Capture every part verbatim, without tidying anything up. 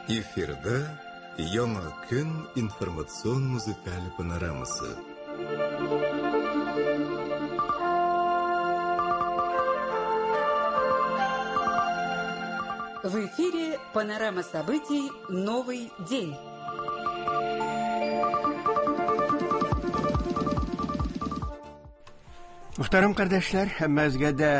Эфирда Яңа көн информацион музыкаль панорамасы. В эфире панорама событий «Новый день». Мөхтәрәм кардәшләр, һәммәгезгә дә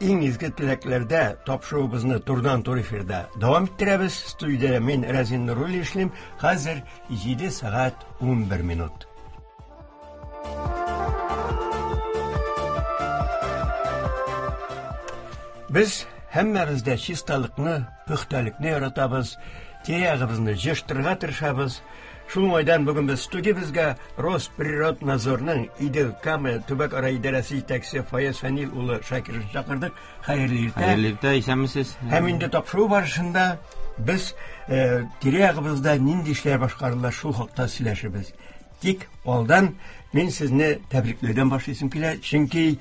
иң изге теләкләрдә тапшыруыбызны турыдан-туры эфирда дәвам иттерәбез. Студиядә мин Разин Нуруллин эшлим. Хәзер җиде сәгать унбер минут. Без һәммәбез дә чисталыкны, пөхтәлекне яратабыз, тирә-ягыбызны җыештырырга тырышабыз. Шул уңайдан бүген без студиябезгә Росприроднадзорның Идел Кама төбәк-ара идарәсе җитәкчесе Фаяз Фәнил улы Шакировны чакырдык. Хәерле иртә. Хәерле иртә, исәнмесез. Һәм инде тапшыру барышында без, э, тирә-ягыбызда нинди эшләр башкарыла, шул хакта сөйләшербез. Тик алдан мин сезне тәбрикләүдән башлыйсым килә, чөнки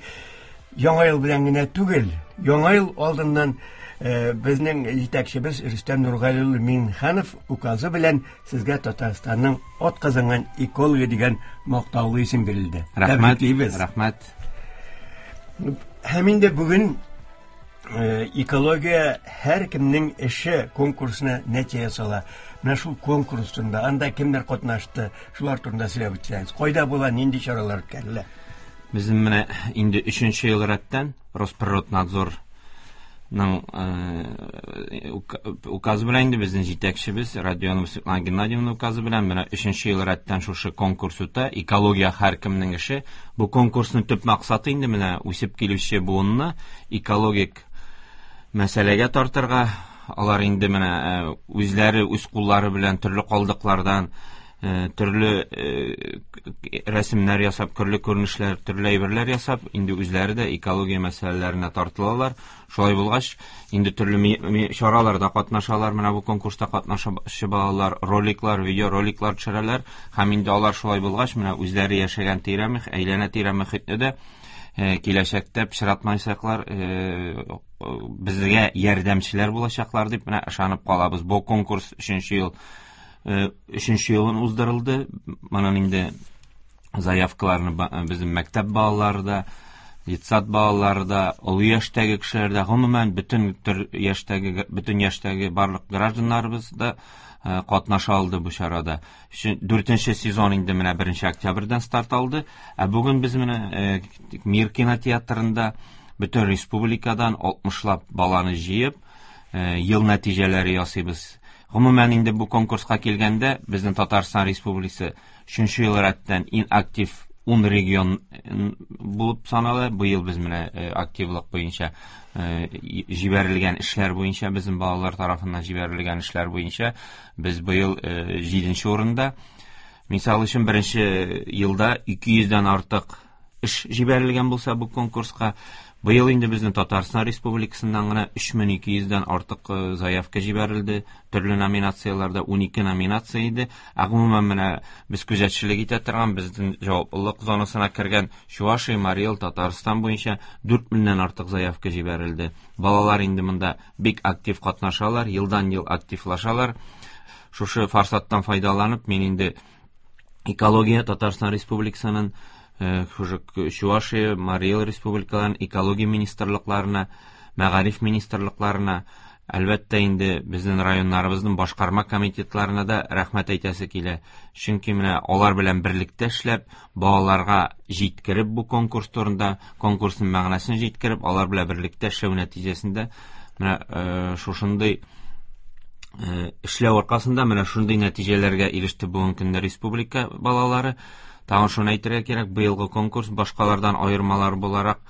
Яңа ел белән генә түгел, Яңа ел алдыннан, э, безнең җитәкчебез Рөстәм Нургали улы Миңнеханов указы белән сезгә Татарстанның атказанган экологы дигән мактаулы исем бирелде. Рәхмәт. Тәбриклибез. Рәхмәт. Һәм инде бүген, э, экология һәркемнең эше конкурсына нәтиҗә ясала. Менә шул конкурс турында, анда кемнәр катнашты, шулар турында сөйләп үтсәгез. Кайда була, нинди чаралар үткәрелә? Безнең менә инде өченче ел рәттән Росприроднадзорның, э, ука-, указы белән инде безнең җитәкчебез Родионова Светлана Геннадьевна указы белән менә өченче ел рәттән шушы конкурс үтә. Экология һәркемнең эше. Бу конкурсның төп максаты инде менә үсеп килүче буынны экологик мәсьәләгә тартырга. Алар инде менә, э, үзләре үз куллары белән төрле калдыклардан, э, төрле, э, рәсемнәр ясап, төрле күренешләр, төрле әйберләр ясап, инде үзләре дә экология мәсьәләләренә тартылалар. Шулай булгач, инде төрле ми-, ми-, чараларда катнашалар. Менә бу конкурста катнашучы балалар роликлар, видеороликлар төшерәләр. Һәм инде алар шулай булгач, менә үзләре яшәгән тирә мөх-, әйләнә-тирә мөхитне дә, э, киләчәктә пычратмаячаклар, э, безгә ярдәмчеләр булачаклар дип менә ышанып калабыз. Бу конкурс өченче ел, э, өченче елын уздырылды. Моның инде заявкаларны ба-, безнең мәктәп балалары да, детсад балалары да, олы яшьтәге кешеләр дә, гомумән бөтен төр яшьтәге, бөтен яшьтәге барлык гражданнарыбыз да, э, катнаша алды бу чарада. Өчен, дүртенче сезон инде менә беренче октябрьдән старт алды. Ә бүген без менә, э, Мир кинотеатрында бөтен республикадан алтмышлап баланы җыеп, э, ел нәтиҗәләре ясыйбыз. Гомумән инде бу конкурска килгәндә безнең Татарстан Республикасы өченче ел рәттән иң актив ун регион булып санала. Быел без менә, э, активлык буенча, э, җибәрелгән эшләр буенча, безнең балалар тарафыннан җибәрелгән эшләр буенча без быел, э, җиденче урында. Мисал өчен, беренче елда ике йөздән артык эш җибәрелгән булса бу конкурска, быел инде безнең Татарстан Республикасыннан гына өч мең ике йөздән артык, э, заявка җибәрелде. Төрле номинацияләрдә унике номинация иде. Ә гомумән менә без күзәтчелек итә торган, безнең җаваплылык зонасына кергән Чувашия, Марий Эл, Татарстан буенча дүрт меңнән артык заявка җибәрелде. Балалар инде монда бик актив катнашалар, елдан-ел активлашалар. Шушы форсаттан файдаланып, мин инде экология Татарстан Республикасының, э, шушы Чувашия, Марий Эл республикаларының экология министрлыкларына, мәгариф министрлыкларына, әлбәттә инде безнең районнарыбызның башкарма комитетларына да рәхмәт әйтәсе килә. Чөнки менә алар белән берлектә эшләп, балаларга җиткереп бу конкурс турында, конкурсның мәгънәсен җиткереп, алар белән берлектә эшләү нәтиҗәсендә менә, э, шушындый, э, эшләү аркасында менә шундый нәтиҗәләргә иреште бүгенге көндә республика балалары. Тагын шуны әйтергә кирәк, быелгы конкурс башкалардан аермалар буларак,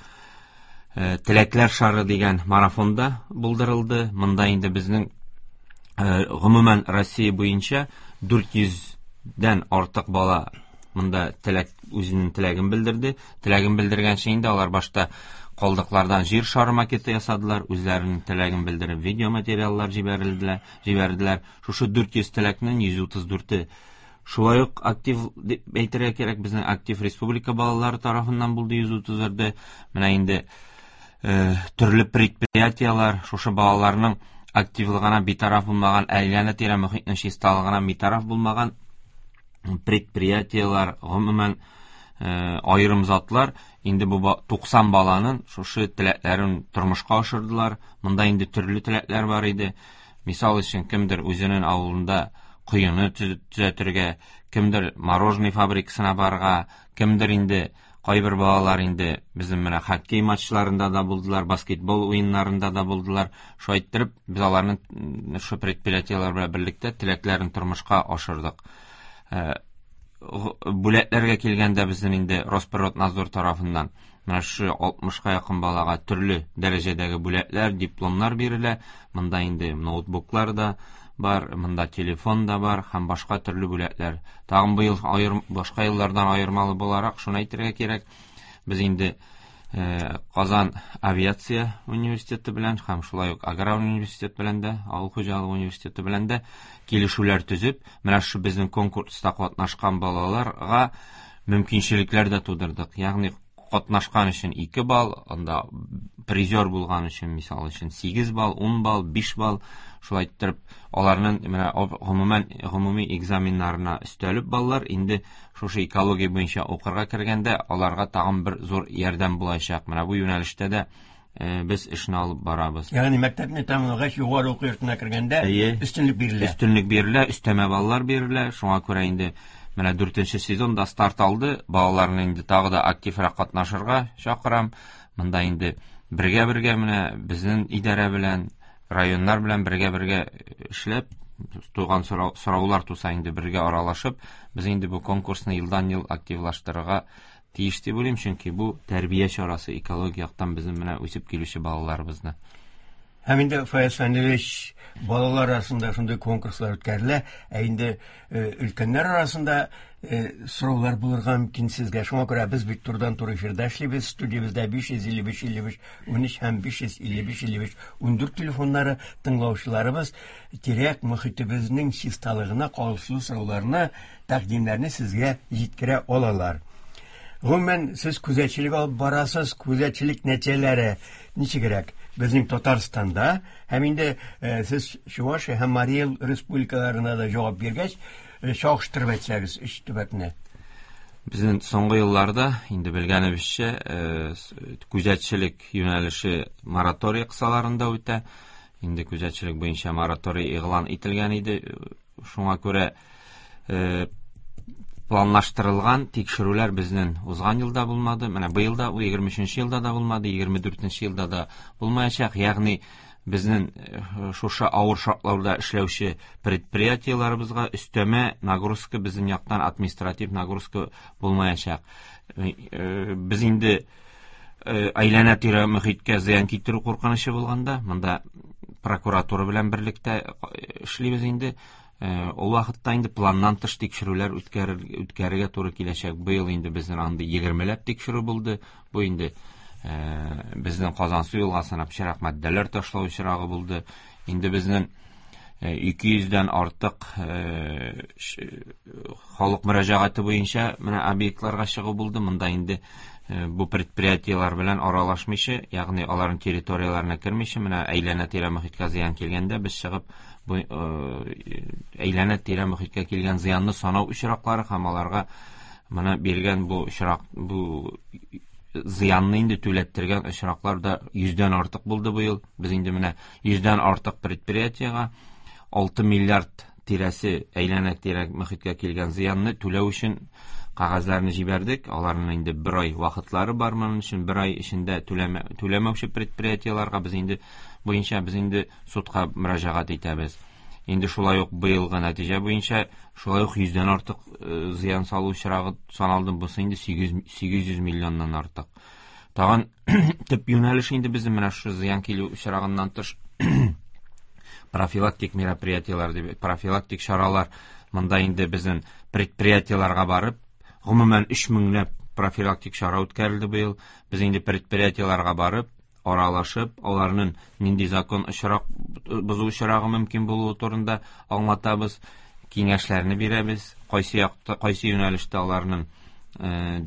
э, Теләкләр шары дигән марафонда булдырылды. Монда инде безнең, э, гомумән Россия буенча дүрт йөздән артык бала монда теләк, үзенең теләген белдерде. Теләген белдергәнче инде алар башта калдыклардан җир шары макеты ясадылар, үзләренең теләген белдереп видеоматериаллар җибәрелделәр, җибәрделәр. Шушы дүрт йөз теләкнең йөз утыз дүрте шулай ук актив дип әйтергә кирәк, безнең актив республика балалары тарафыннан булды йөз утыз дүрте. Менә инде, э, төрле предприятиелар шушы балаларның активлыгына битараф булмаган, әйләнә-тирә мөхитнең чисталыгына битараф булмаган предприятиелар, гомумән аерым затлар инде бу туксан баланың шушы теләкләрен тормышка ашырдылар. Монда инде төрле теләкләр бар иде. Мисал өчен, кемдер үзенең авылында коены төзәтергә, кемдер мороженое фабрикасына барырга, кемдер инде кайбер балалар инде безнең менә хоккей матчларында да булдылар, баскетбол уеннарында да булдылар. Шулай иттереп, без аларның шушы предприятиеләр белән берлектә теләкләрен тормышка ашырдык. Бүләкләргә килгәндә безнең инде Росприроднадзор тарафыннан менә шушы алтмышка якын балага төрле дәрәҗәдәге бүләкләр, дипломнар бирелә. Монда инде ноутбуклар да бар, монда телефон да бар һәм башка төрле бүләкләр. Тагын быел аерым, башка еллардан аермалы буларак шуны әйтергә кирәк, без инде Казан авиация университеты белән һәм шулай ук аграр университет белән дә, авыл хуҗалыгы университеты белән дә килешүләр төзеп, менә шу безнең конкурста катнашкан балаларга мөмкинчелекләр дә тудырдык. Ягъни катнашкан өчен ике балл, анда призер булган өчен, мисал өчен, сигез балл, ун балл, биш балл, шулай иттереп, аларның менә гомумән гомуми экзаменнарына өстәлеп баллар инде шушы экология буенча укырга кергәндә аларга тагын бер зур ярдәм булачак. Менә бу юнәлештә дә без эшне алып барабыз. Ягъни мәктәпне тәмамлагач югары уку йортына кергәндә өстенлек бирелә. Өстенлек бирелә, өстәмә баллар бирелә. Шуңа күрә инде менә дүртенче сезонда старт алды. Балаларны инде тагы да активрак катнашырга чакырам. Монда инде бергә-бергә менә безнең идарә белән, районнар белән бергә-бергә эшләп, туган сораулар туса инде бергә аралашып, без инде бу конкурсны елдан-ел активлаштырырга тиеш дип уйлыйм, чөнки бу тәрбия чарасы экология яктан безнең менә үсеп килүче балаларыбызны. Һәм инде Фаяз Фәнилевич, балалар арасында шундый конкурслар үткәрелә, ә инде өлкәннәр арасында сораулар булырга мөмкин сезгә. Шуңа күрә без бит турыдан-туры эфирда эшлибез. Студиябездә биш йөз илле биш илле биш унөч һәм биш йөз илле биш илле биш ундүрт телефоннары тыңлаучыларыбыз тирә-як мөхитебезнең чисталыгына кагылышлы сорауларны, тәкъдимнәрне сезгә җиткерә алалар. Гомумән, сез күзәтчелек алып барасыз, күзәтчелек нәтиҗәләре ничегрәк? Безнең Татарстанда һәм инде сез Чувашия һәм Марий Эл республикаларына да җавап биргәч, чагыштырып әйтсәгез өч төбәкне. Безнең соңгы елларда инде белгәнебезчә, күзәтчелек юнәлеше мораторий кысаларында үтә. Инде күзәтчелек буенча мораторий игълан ителгән иде. Шуңа күрә планлаштырылган тикшерүләр безнең узган елда булмады. Менә быел да, егерме өченче елда да булмады, егерме дүртенче елда да булмаячак. Ягъни безнең шушы авыр шартларда эшләүче предприятиеләребезгә өстәмә нагрузка безнең яктан административ нагрузка булмаячак. Без инде әйләнә-тирә мөхиткә зыян китерү куркынычы булганда, монда прокуратура белән берлектә эшлибез инде. Ул вакытта инде планнан тыш тикшерүләр үткәрергә туры киләчәк. Быел инде безнең андый егермеләп тикшерү булды. Бу инде безнең Казансу елгасына пычрак матдәләр ташлау очрагы булды. Инде безнең ике йөздән артык халык мөрәҗәгате буенча менә объектларга чыгу булды. Монда инде бу предприятиеләр белән аралашмыйча, ягъни аларның территорияләренә кермичә, менә әйләнә-тирә мөхиткә зыян килгәндә без чыгып бу әйләнә-тирә мөхиткә килгән зыянны санау очраклары һәм аларга менә биргән бу очрак, бу зыянны инде түләттергән очраклар да йөздән артык булды быел. Без инде менә йөздән артык предприятиегә алты миллиард тирәсе әйләнә-тирә мөхиткә килгән зыянны түләү өчен кәгазьләрне җибәрдек. Аларның инде бер ай вакытлары бар моның өчен. Бер ай эчендә түләмә, түләмәүче предприятиеләргә без инде буенча без инде судка мөрәҗәгать итәбез. Инде шулай ук быелгы нәтиҗә буенча шулай ук йөздән артык зыян салу очрагы саналды. Бусы инде сигез йөз миллионнан артык. Тагын төп юнәлеш инде безнең менә шушы зыян килү очрагыннан тыш профилактик мероприятиеләр дип, профилактик чаралар. Монда инде безнең предприятиеләргә барып, гомумән өч меңләп профилактик чара үткәрелде быел. Без инде предприятиеләргә барып, аралашып, аларның нинди закон очрак бозу очрагы мөмкин булуы турында аңлатабыз, киңәшләрне бирәбез, кайсы якта, кайсы юнәлештә аларның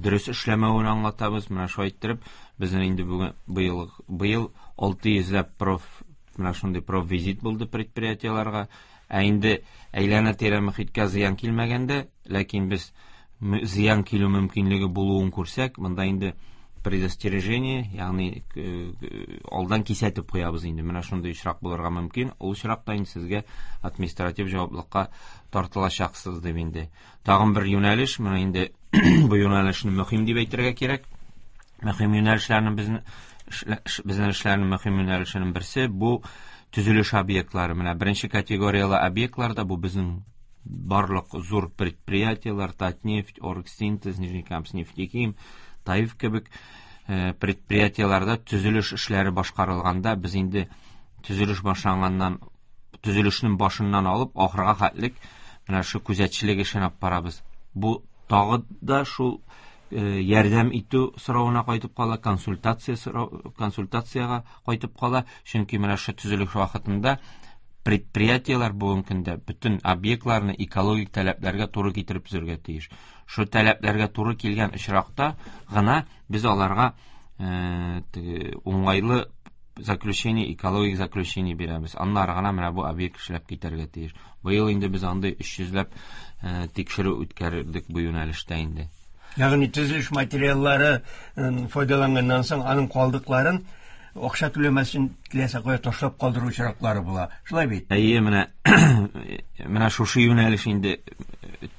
дөрес эшләмәвен аңлатабыз. Менә шулай иттереп, безнең инде бүген быел, быел алты йөзләп проф, Менә шундый профвизит булды предприятиеләргә. Ә инде әйләнә-тирә мөхиткә зыян килмәгәндә, ләкин без зыян килү мөмкинлеге булуын күрсәк, монда инде предостережение, ягъни алдан кисәтеп куябыз инде. Менә шундый очрак булырга мөмкин. Ул очракта инде сезгә административ җаваплылыкка тартылачаксыз дип инде. Тагын бер юнәлеш, менә инде бу юнәлешне мөһим дип әйтергә кирәк. Мөһим юнәлешләрнең безнең безнең эшләрнең мөһим юнәлешенең берсе бу төзелеш объектлары. Менә беренче категорияле объектларда бу безнең барлык зур предприятиеләр, Татнефть, Оргсинтез, Нижнекамскнефтехим, Таиф кебек предприятиеләрдә төзелеш эшләре башкарылганда без инде төзелеш башланганнан, төзелешнең башыннан алып ахырга хәтлек менә шу күзәтчелек эшен алып барабыз. Бу тагы да шул ярдәм итү соравына кайтып кала, консультация консультациягә кайтып кала, чөнки менә шу төзелеш вакытында предприятиеләр бүгенге көндә бөтен объектларны экологик таләпләргә туры китереп төзергә тиеш. Шу таләпләргә туры килгән очракта гына без аларга уңайлы заключение, экологик заключение бирәбез. Аннары гына менә бу объект эшләп китәргә тиеш. Быел инде без андый өч йөзләп тикшерү үткәрдек бу юнәлештә инде. Ягъни төзелеш материаллары файдаланганнан соң аның калдыкларын акча түләмәсен теләсә кая ташлап калдыру очраклары була. Шулай бит? Әйе, менә менә шушы юнәлеш инде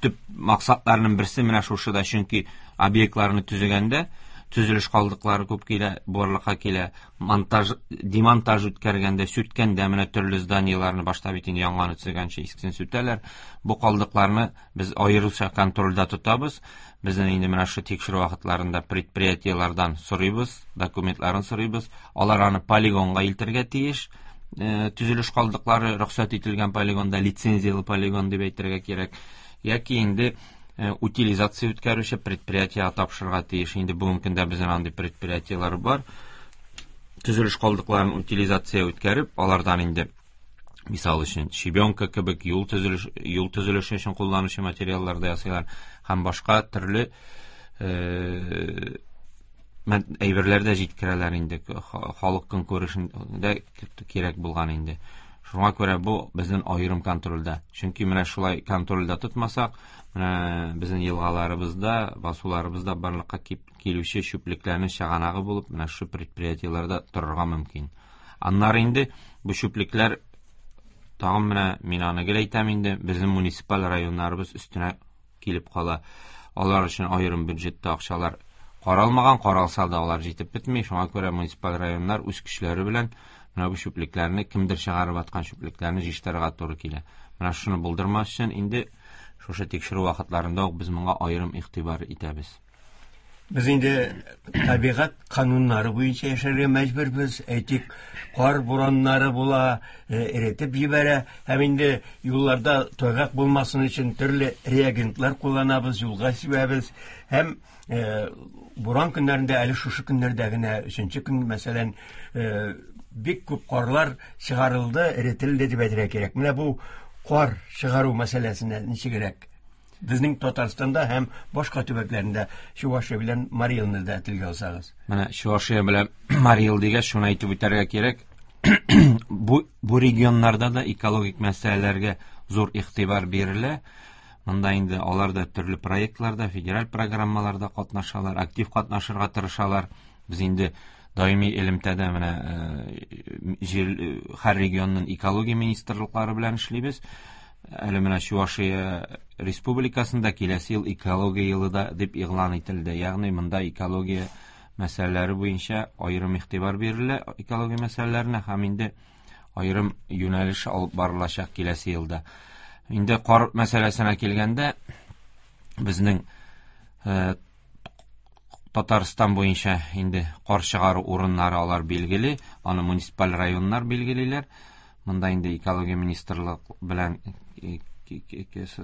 төп максатларының берсе менә шушы да, чөнки объектларны төзегәндә төзелеш калдыклары күп килә, барлыкка килә. Монтаж, демонтаж үткәргәндә, сүткәндә менә төрле зданиеләрне башта бит инде яңаны төзегәнче искесен сүтәләр. Бу калдыкларны без аеруча контрольдә тотабыз. Безнең инде менә шу тикшерү вакытларында предприятиеләрдән сорыйбыз, документларын сорыйбыз. Алар аны полигонга илтергә тиеш. Төзелеш калдыклары рөхсәт ителгән полигонда, лицензияле полигон дип әйтергә кирәк. Яки инде утилизация үткәрүче предприятиегә тапшырырга тиеш. Инде бүгенге көндә безнең андый предприятиеләр бар. Төзелеш калдыкларын утилизация үткәреп, алардан инде мисал өчен щебенка кебек юл төзелеш, юл төзелеше өчен кулланучы материаллар да ясыйлар һәм башка төрле әйберләр дә җиткерәләр инде, халык көнкүрешендә кирәк булган инде. Шуңа күрә бу безнең аерым контрольдә. Чөнки менә шулай контрольдә тотмасак, менә безнең елгаларыбызда, басуларыбызда барлыкка килүче чүплекләрнең чыганагы булып, менә шу предприятиеләрдә торырга мөмкин. Аннары инде бу чүплекләр тагын менә мин аны гел әйтәм инде, безнең муниципаль районнарыбыз өстенә килеп кала. Алар өчен аерым бюджетта акчалар каралмаган, каралса да алар җитеп бетми. Шуңа күрә муниципаль районнар үз көчләре белән менә бу чүплекләрне, кемдер чыгарып аткан чүплекләрне җыештырырга туры килә. Менә шуны булдырмас өчен инде шушы тикшерү вакытларында ук без моңа аерым игътибар итәбез. Без инде табигать кануннары буенча яшәргә мәҗбүрбез. Әйтик, кар бураннары була, эретеп җибәрә һәм инде юлларда тайгак булмасын өчен төрле реагентлар кулланабыз, юлга сибәбез. Һәм буран көннәрендә, әле шушы көннәрдә генә, өченче көн, мәсәлән, бик күп карлар чыгарылды, эретелде дип әйтергә кирәк. Менә бу кар чыгару мәсьәләсенә ничегрәк? Безнең Татарстанда һәм башка төбәкләрендә Чувашия белән Марий Элны да телгә алсагыз. Менә Чувашия белән Марий Эл дигәч, шуны әйтеп үтәргә кирәк. Бу, бу регионнарда да экологик мәсьәләләргә зур игътибар бирелә. Монда инде алар да төрле проектларда, федераль программаларда катнашалар, актив катнашырга тырышалар. Без инде даими элемтәдә менә җир, һәр регионның экология министрлыклары белән эшлибез. Әле менә Чувашия Республикасында киләсе ел экология елы да дип игълан ителде. Ягъни монда экология мәсьәләләре буенча аерым игътибар бирелә экология мәсьәләләренә һәм инде аерым юнәлеш алып барылачак киләсе елда. Инде кар мәсьәләсенә килгәндә, безнең Татарстан буенча инде кар чыгару урыннары алар билгеле, аны муниципаль районнар билгелиләр. Монда инде экология министрлык белән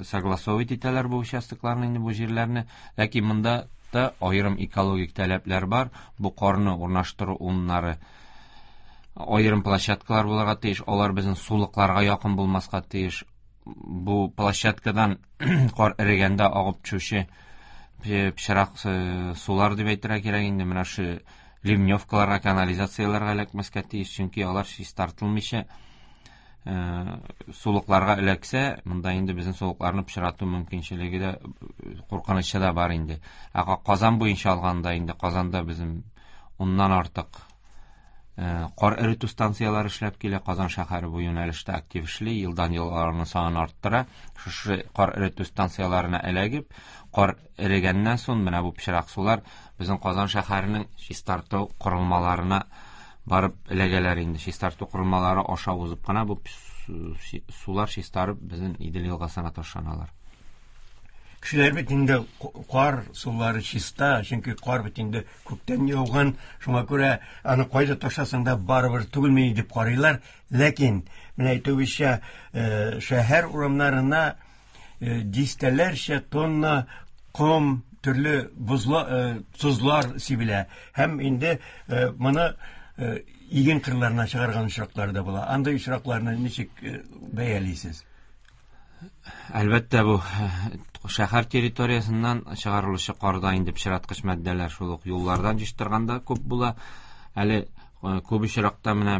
согласовать итәләр бу участокларны, инде бу җирләрне. Ләкин монда да аерым экологик таләпләр бар. Бу карны урнаштыру урыннары аерым площадкалар булырга тиеш, алар безнең сулыкларга якын булмаска тиеш. Бу площадкадан кар эрегәндә агып төшүче пычрак сулар дип әйтергә кирәк инде. Менә шу ливневкаларга, канализацияләргә эләкмәскә тиеш, чөнки алар чистартылмыйча сулыкларга эләксә, монда инде безнең сулыкларны пычрату мөмкинчелеге дә, куркынычы да бар инде. Ә Казан буенча алганда инде Казанда безнең уннан артык кар эретү станцияләре эшләп килә. Казан шәһәре бу юнәлештә актив эшли, елдан-ел аларның санын арттыра. Шушы кар эретү станцияләренә эләгеп, кар эрегәннән соң менә бу пычрак сулар безнең Казан шәһәренең чистарту корылмаларына барып эләгәләр инде. Чистарту корылмалары аша узып кына бу сулар чистарып безнең Идел елгасына ташланалар. Кешеләр бит инде кар сулары чиста, чөнки кар бит инде күктән яуган, шуңа күрә аны кайда ташласаң да барыбер түгелми дип карыйлар. Ләкин менә әйтүебезчә, шәһәр урамнарына дистәләрчә тонна ком, төрле бозла, тозлар сибелә һәм инде моны иген кырларына чыгарган очраклар да була. Андый очракларны ничек бәялисез? Әлбәттә, бу шәһәр территориясеннән чыгарылучы карда инде пычраткыч матдәләр шул ук юллардан җыштырганда күп була. Әле күп очракта менә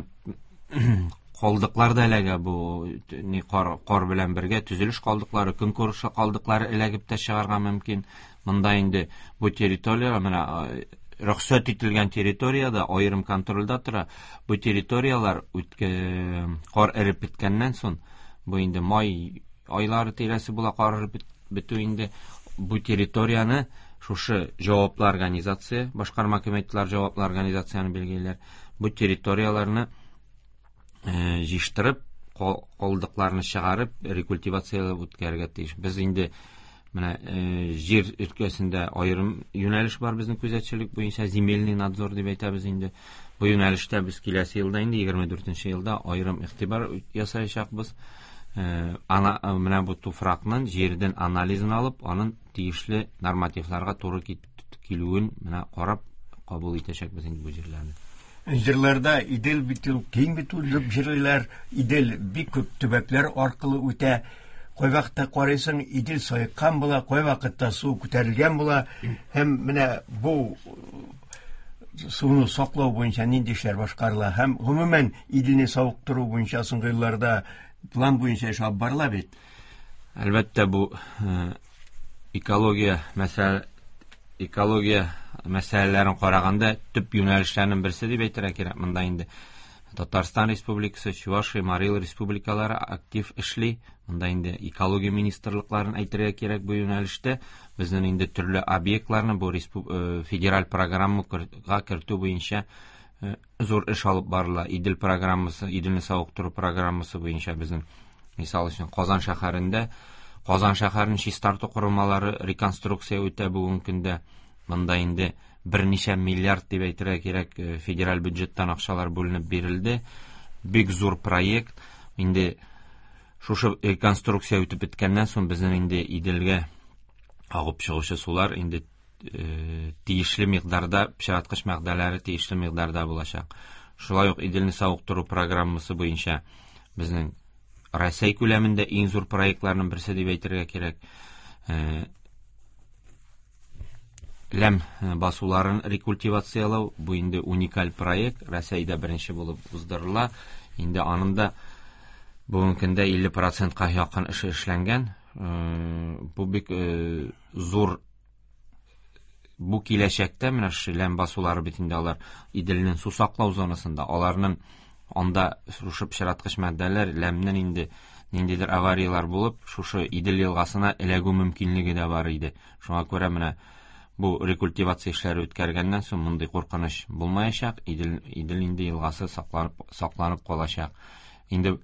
калдыклар да эләгә, бу ни кар, кар белән бергә төзелеш калдыклары, көнкүреш калдыклары эләгеп тә чыгарга мөмкин. Монда инде бу территория менә рөхсәт ителгән территориядә аерым контрольдә тора. Бу территорияләр кар эреп беткәннән соң, бу инде май айлары тирәсе була кар эреп бетү инде, бу территорияне шушы җаваплы организация, башкарма комитетлар җаваплы организацияне билгелиләр. Бу территорияләрне җыштырып, калдыкларны чыгарып, рекультивацияләп үткәрергә тиеш. Без инде менә җир өлкәсендә аерым юнәлеш бар безнең күзәтчелек буенча, земельный надзор дип әйтәбез инде. Бу юнәлештә без киләсе елда инде егерме дүртенче елда аерым игътибар ясаячакбыз. Ана менә бу туфракның җирдән анализын алып, аның тиешле нормативларга туры килүен менә карап кабул итәчәкбез инде бу җирләрне. Җирләрдә Идел бит ул киң бит ул җирләр, Идел бик күп төбәкләр аркылы үтә. Кай вакытта карыйсың, Идел саеккан була, кай вакытта су күтәрелгән була. Һәм менә бу суны саклау буенча нинди эшләр башкарыла һәм гомумән Иделне савыктыру буенча соңгы елларда план буенча эш алып барыла бит. Әлбәттә, бу экология мәсьәлә, экология мәсьәләләрен караганда төп юнәлешләрнең берсе дип әйтергә кирәк. Монда инде Татарстан Республикасы, Чувашия, Марий Эл республикалары актив эшли. Монда инде экология министрлыкларын әйтергә кирәк бу юнәлештә. Безнең инде төрле объектларны бу федераль программага кертү буенча зур эш алып барыла. Идел программасы, Иделне савыктыру программасы буенча безнең, мисал өчен, Казан шәһәрендә Казан шәһәрен чистарту корылмалары реконструкция үтә бүгенге көндә. Монда инде берничә миллиард дип әйтергә кирәк федераль бюджеттан акчалар бүленеп бирелде. Бик зур проект. Инде шушы реконструкция үтеп беткәннән соң безнең инде Иделгә агып чыгучы сулар инде тиешле микъдарда, пычраткыч матдәләре тиешле микъдарда булачак. Шулай ук Иделне савыктыру программасы буенча безнең Россия күләмендә иң зур проектларның берсе дип әйтергә кирәк. Ләм басуларын рекультивациялау бу инде уникаль проект, Россиядә беренче булып уздырыла. Инде аның да бүгенге көндә илле процентка якын эше эшләнгән. Бу бик зур, бу киләчәктә менә шушы ләм басулары бит инде алар Иделнең су саклау зонасында, аларның анда шушы пычраткыч матдәләр, ләмнең инде ниндидер авариялар булып, шушы Идел елгасына эләгү мөмкинлеге дә бар иде. Шуңа күрә менә бу рекультивация эшләре үткәргәннән соң мондый куркыныч булмаячак, Идел, Идел инде елгасы сакланып, сакланып калачак. Инде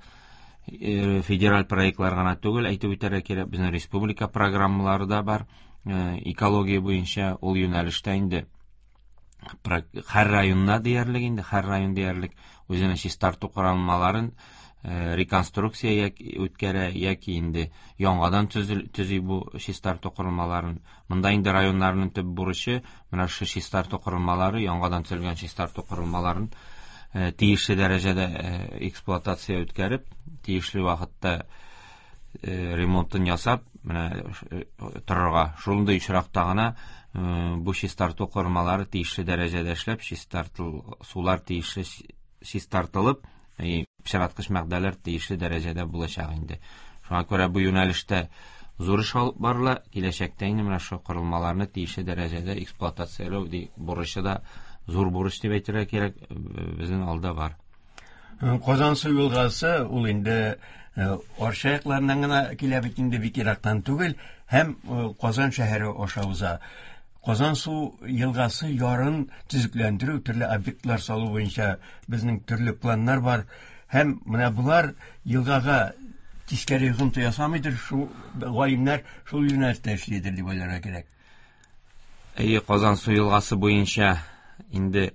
федераль проектлар гына түгел, әйтеп үтәргә кирәк, безнең республика программалары да бар. Экология буенча ул юнәлештә инде һәр районда диярлек инде, һәр район диярлек үзенең чистарту корылмаларын реконструкция үткәрә яки инде яңадан төзи бу чистарту корылмаларын. Монда инде районнарның төп бурычы менә шушы чистарту корылмалары, яңадан төзелгән чистарту корылмаларын тиешле дәрәҗәдә эксплуатация үткәреп, тиешле вакытта ремонтын ясап, Менә торырга. Шундый очракта гына бу чистарту корылмалары тиешле дәрәҗәдә эшләп, чистартыл сулар тиешле чистартылып, пычраткыч матдәләр тиешле дәрәҗәдә булачак инде. Шуңа күрә бу юнәлештә зур эш алып барыла. Киләчәктә инде менә шу корылмаларны тиешле дәрәҗәдә эксплуатацияләү бурычы да зур бурыч дип әйтергә кирәк, безнең алда бар. Казансу елгасы ул инде Арча якларыннан гына килә бит инде, бик ерактан түгел, һәм Казан шәһәре аша уза. Казансу елгасы ярын төзекләндерү, төрле объектлар салу буенча безнең төрле планнар бар. Һәм менә булар елгага тискәре йогынты ясамыйдыр, шу галимнәр шул юнәлештә эшлидер дип уйларга кирәк. Әйе, Казансу елгасы буенча инде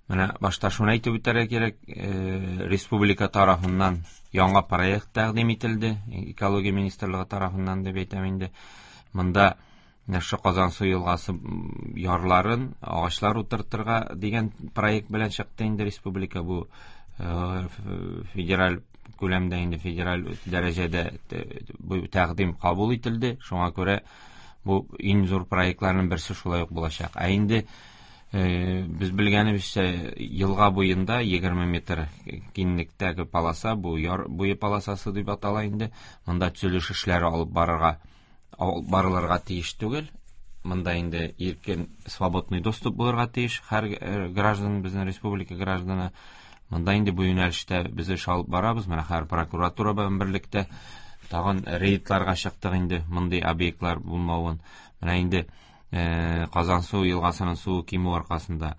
менә башта шуны әйтеп үтәргә кирәк, республика тарафыннан яңа проект тәкъдим ителде, экология министрлыгы тарафыннан дип әйтәм инде. Монда шушы Казансу елгасы ярларын агачлар утыртырга дигән проект белән чыкты инде республика. Бу федераль күләмдә инде, федераль дәрәҗәдә бу тәкъдим кабул ителде. Шуңа күрә бу иң зур проектларның берсе шулай ук булачак. Ә инде без белгәнебезчә, елга буенда егерме метр киңлектәге полоса, бу яр буе полосасы дип атала инде. Монда төзелеш эшләре алып барырга, алып барылырга тиеш түгел. Монда инде иркен свободный доступ булырга тиеш һәр граждан, безнең республика гражданы. Монда инде бу юнәлештә без эш алып барабыз. Менә һәр прокуратура белән берлектә тагын рейдларга чыктык инде, мондый объектлар булмавын. Менә инде Казансу елгасының суы кимү аркасында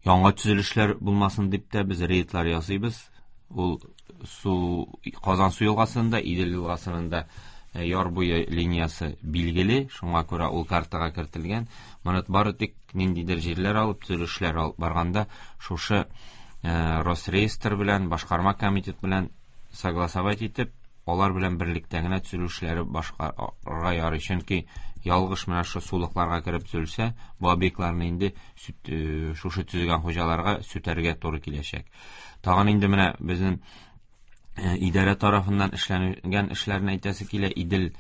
яңа төзелешләр булмасын дип тә без рейдлар ясыйбыз. Ул су Казансу елгасында, Идел елгасының да яр буе линиясе билгеле, шуңа күрә ул картага кертелгән. Моны бары тик ниндидер җирләр алып, төзелешләр алып барганда шушы Росреестр белән, башкарма комитет белән согласовать итеп, алар белән берлектә генә төзелешләре башкарырга ярый. Чөнки ялгыш менә шу сулыкларга кереп төзелсә, бу объектларны инде шушы төзегән хуҗаларга сүтәргә туры киләчәк. Тагын инде менә безнең идарә тарафыннан эшләнгән эшләрне әйтәсе килә. Идел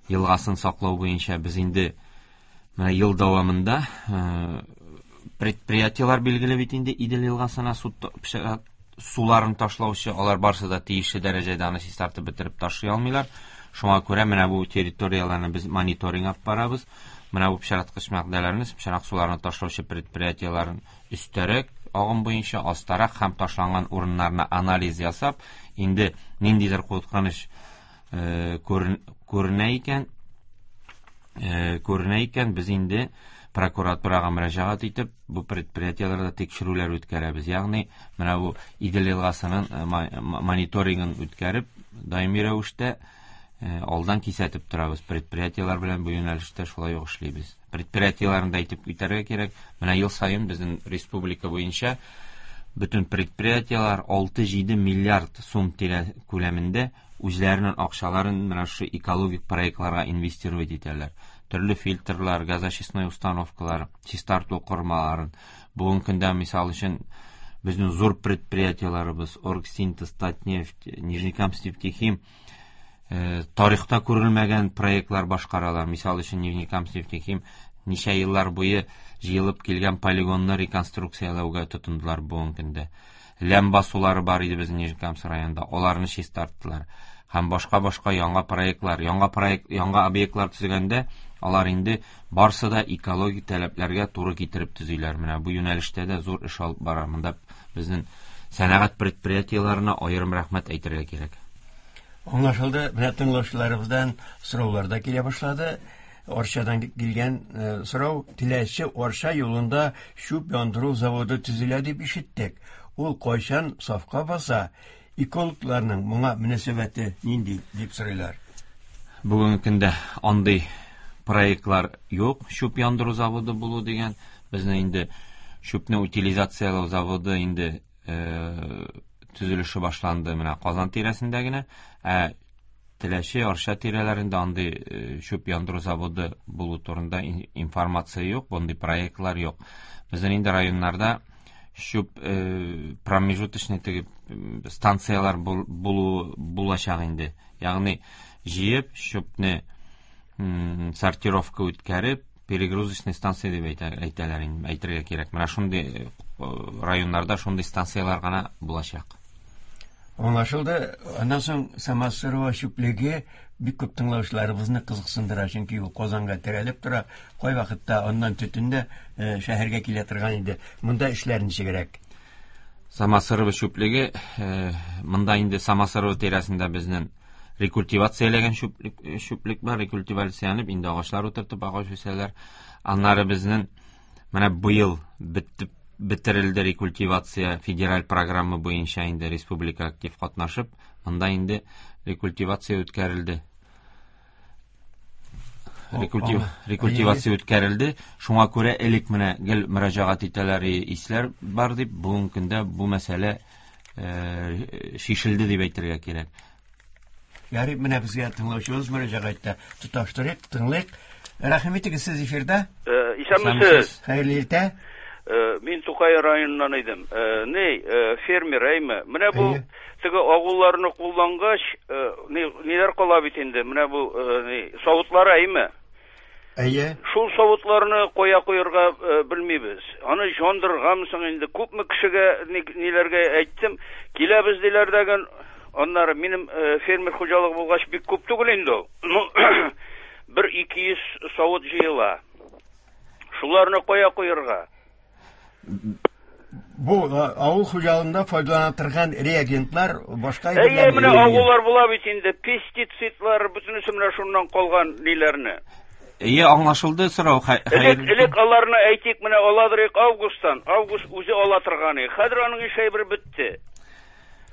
елгасын саклау буенча без инде менә ел дәвамында предприятиелар билгеле бит инде Идел елгасына су суларын ташлаучы, алар барсы да тиешле дәрәҗәдә аны чистартып бетереп ташлый алмыйлар. Шуңа күрә менә бу территорияләрне без мониторинг алып барабыз. Менә бу пычраткыч матдәләрне, пычрак суларны ташлаучы предприятиеләрен өстәрәк агым буенча, астарак һәм ташланган урыннарына анализ ясап, инде ниндидер куркыныч күренә икән, күренә икән, без инде прокуратурага мөрәҗәгать итеп, бу предприятиеләрдә тикшерүләр үткәрәбез. Ягъни менә бу Идел елгасының мониторингын үткәреп, даими рәвештә алдан кисәтеп торабыз. Предприятиеләр белән бу юнәлештә шулай ук эшлибез. Предприятиеләрне дә әйтеп үтәргә кирәк. Менә ел саен безнең республика буенча бөтен предприятиеләр алты-җиде миллиард сум тирә күләмендә үзләренең акчаларын менә шу экологик проектларга инвестировать итәләр. Төрле фильтрлар, газочистной установкалар, чистарту корылмаларын. Бүгенге көндә, мисал өчен, безнең зур предприятиеләребез Оргсинтез, Татнефть, Нижнекамскнефтехим тарихта күрелмәгән проектлар башкаралар. Мисал өчен, Нижнекамскнефтехим ничә еллар буе җыелып килгән полигонны реконструкцияләүгә тотындылар бүгенге көндә. Ләм басулары бар иде безнең Нижнекамск районында, аларны чистарттылар. Һәм башка-башка яңа проектлар, яңа проект, яңа объектлар төзегәндә алар инде барсы да экологик таләпләргә туры китереп төзиләр. Менә бу юнәлештә дә зур эш алып бара. Монда безнең сәнәгать предприятиеләренә аерым рәхмәт әйтергә кирәк. Аңлашылды. Менә тыңлаучыларыбыздан сораулар да килә башлады. Арчадан килгән сорау: Теләче Арча юлында чүп яндыру заводы төзелә дип ишеттек. Ул кайчан сафка баса? Экологларның моңа мөнәсәбәте нинди дип сорыйлар. Бүгенге көндә андый проектлар юк. Чүп яндыру заводы булу дигән, безнең инде чүпне утилизацияләү заводы инде төзелеше башланды менә Казан тирәсендә генә. Ә Теләче Арча тирәләрендә андый чүп яндыру заводы булу турында информация юк, мондый проектлар юк. Безнең инде районнарда чүп промежуточный теге станциялар булу булачак инде. Ягъни җыеп чүпне сортировка үткәреп, перегрузочный станция дип әйтәләр инде, әйтергә кирәк. Менә шундый районнарда шундый станцияләр гына булачак. Аңлашылды. Аннан соң Самосырова чүплеге бик күп тыңлаучыларыбызны кызыксындыра, чөнки ул Казанга терәлеп тора. Кайвакытта аннан төтен дә шәһәргә килә торган иде. Монда эшләр ничегрәк? Самосырова чүплеге, монда инде Самосырова тирәсендә безнең рекультивацияләгән чүплек, чүплек бар, рекультивацияләнеп инде агачлар утыртып агач үсәләр. Аннары безнең менә быел бетеп бетерелде рекультивация федераль программа буенча инде республика актив катнашып, монда инде рекультивация үткәрелде. Рекультив, рекультивация үткәрелде. Шуңа күрә элек менә гел мөрәҗәгать итәләр, исләр бар дип, бүгенге көндә бу мәсьәлә шишелде дип әйтергә кирәк. Ярый, менә безгә тыңлаучыбыз мөрәҗәгать итә. Тоташтырыйк, тыңлыйк. Рәхим итегез, сез эфирда. Исәнмесез. Хәерле иртә. Мин Тукай районыннан идем. Ни, фермер, әйме? Менә бу теге агуларны куллангач, ниләр кала бит инде? Менә бу ни, савытлары, әйме? Әйе. Шул савытларны кая куярга белмибез. Аны җандыргамы соң инде? Күпме кешегә ниләргә әйттем, киләбез диләр дәген. Аннары минем фермер хуҗалыгы булгач бик күп түгел инде ул. Бер ике йөз савыт җыела. Шуларны кая куярга? Бу авыл хуҗалыгында файдалана торган реагентлар башка әйберләр. Әйе, менә агулар була бит инде, пестицидлар, бөтенесе менә шуннан калган ниләрне. Әйе, аңлашылды сорау. Элек, элек аларны әйтик, менә аладырык августтан. Август үзе ала торган. Хәзер аның эше әйбер бетте.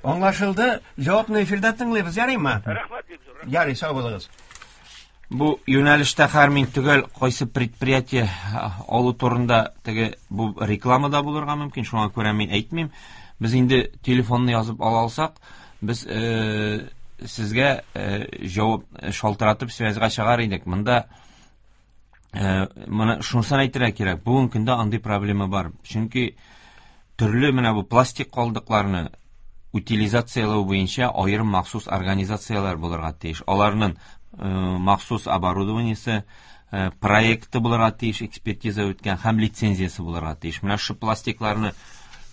Аңлашылды. Җавапны эфирдә тыңлыйбыз, ярыймы? Рәхмәт бик зур. Ярый, сау булыгыз. Бу юнәлештә һәр мин төгәл кайсы предприятие алу турында теге бу реклама да булырга мөмкин, шуңа күрә мин әйтмим. Без инде телефонны язып ала алсак, без э, сезгә э, җавап шалтыратып связьга чыгар идек. Монда э, моны шунысын әйтергә кирәк. Бүгенге көндә андый проблема бар. Чөнки төрле менә бу пластик калдыкларны утилизацияләү буенча аерым махсус организацияләр булырга тиеш. Аларның махсус оборудованиесе, проекты булырга тиеш, экспертиза үткән һәм лицензиясе булырга тиеш. Менә шу пластикларны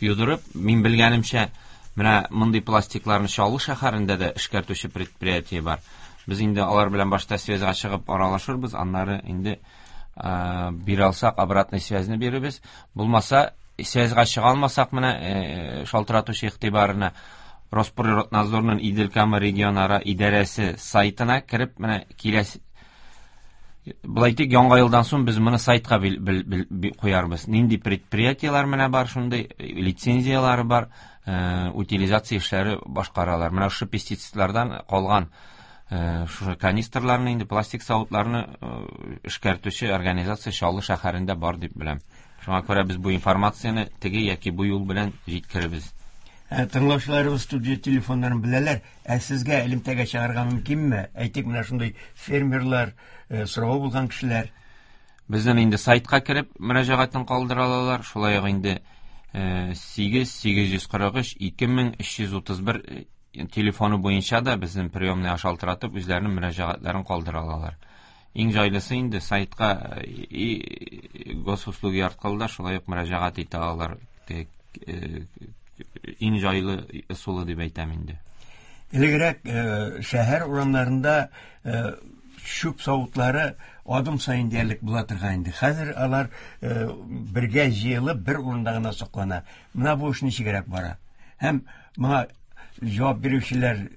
юдырып, мин белгәнемчә, менә мондый пластикларны Чаллы шәһәрендә дә эшкәртүче предприятие бар. Без инде алар белән башта связьга чыгып аралашырбыз, аннары инде бирә алсак обратный связьны бирербез. Булмаса, связьга чыга алмасак, менә шалтыратучы игътибарына Росприроднадзорның Идел-Кама регионара идарәсе сайтына кереп, менә киләсе былай әйтик, яңа елдан соң без моны сайтка бил, бил, бил, куярбыз. Нинди предприятиеләр менә бар, шундый лицензияләре бар, э, утилизация эшләре башкаралар. Менә шушы пестицидлардан калган э, шушы канистрларны, инде пластик савытларны э, эшкәртүче организация Чаллы шәһәрендә бар дип беләм. Шуңа күрә без бу информацияне теге яки бу юл белән җиткеребез. Тыңлаучыларыбыз студия телефоннарын беләләр. Ә сезгә элемтәгә чыгарга мөмкинме? Әйтик, менә шундый фермерлар, сорау булган кешеләр. Безнең инде сайтка кереп мөрәҗәгатен калдыра алалар. Шулай ук инде сигез сигез йөз кырык өч ике мең өч йөз утыз бер телефоны буенча да безнең приемный шалтыратып үзләренең мөрәҗәгатьләрен калдыра алалар. Иң җайлысы инде сайтка и госуслуги аркылы да шулай ук мөрәҗәгать итә алалар. Иң җайлы ысулы дип әйтәм инде. Элегрәк шәһәр урамнарында чүп савытлары адым саен диярлек була торган инде. Хәзер алар бергә җыелып бер урында гына саклана. Менә бу эш ничегрәк бара? Һәм моңа җавап бирүчеләр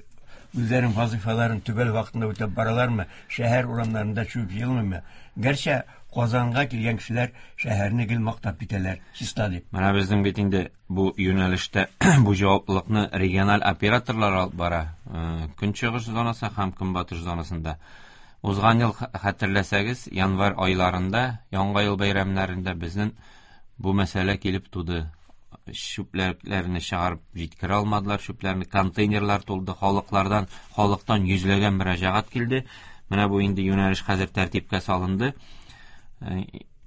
үзләренең вазифаларын төгәл вакытында үтәп баралармы? Шәһәр урамнарында чүп җыелмыймы? Гәрчә Казанга килгән кешеләр шәһәрне гел мактап китәләр, чиста дип. Менә безнең бит инде бу юнәлештә бу җаваплылыкны региональ операторлар алып бара. Көнчыгыш зонасы һәм көнбатыш зонасында. Узган ел хәтерләсәгез, январь айларында, Яңа ел бәйрәмнәрендә безнең бу мәсьәлә килеп туды. Чүпләрне чыгарып җиткерә алмадылар, чүпләрне контейнерлар тулды, халыклардан, халыктан йөзләгән мөрәҗәгать килде. Менә бу инде юнәлеш хәзер тәртипкә салынды.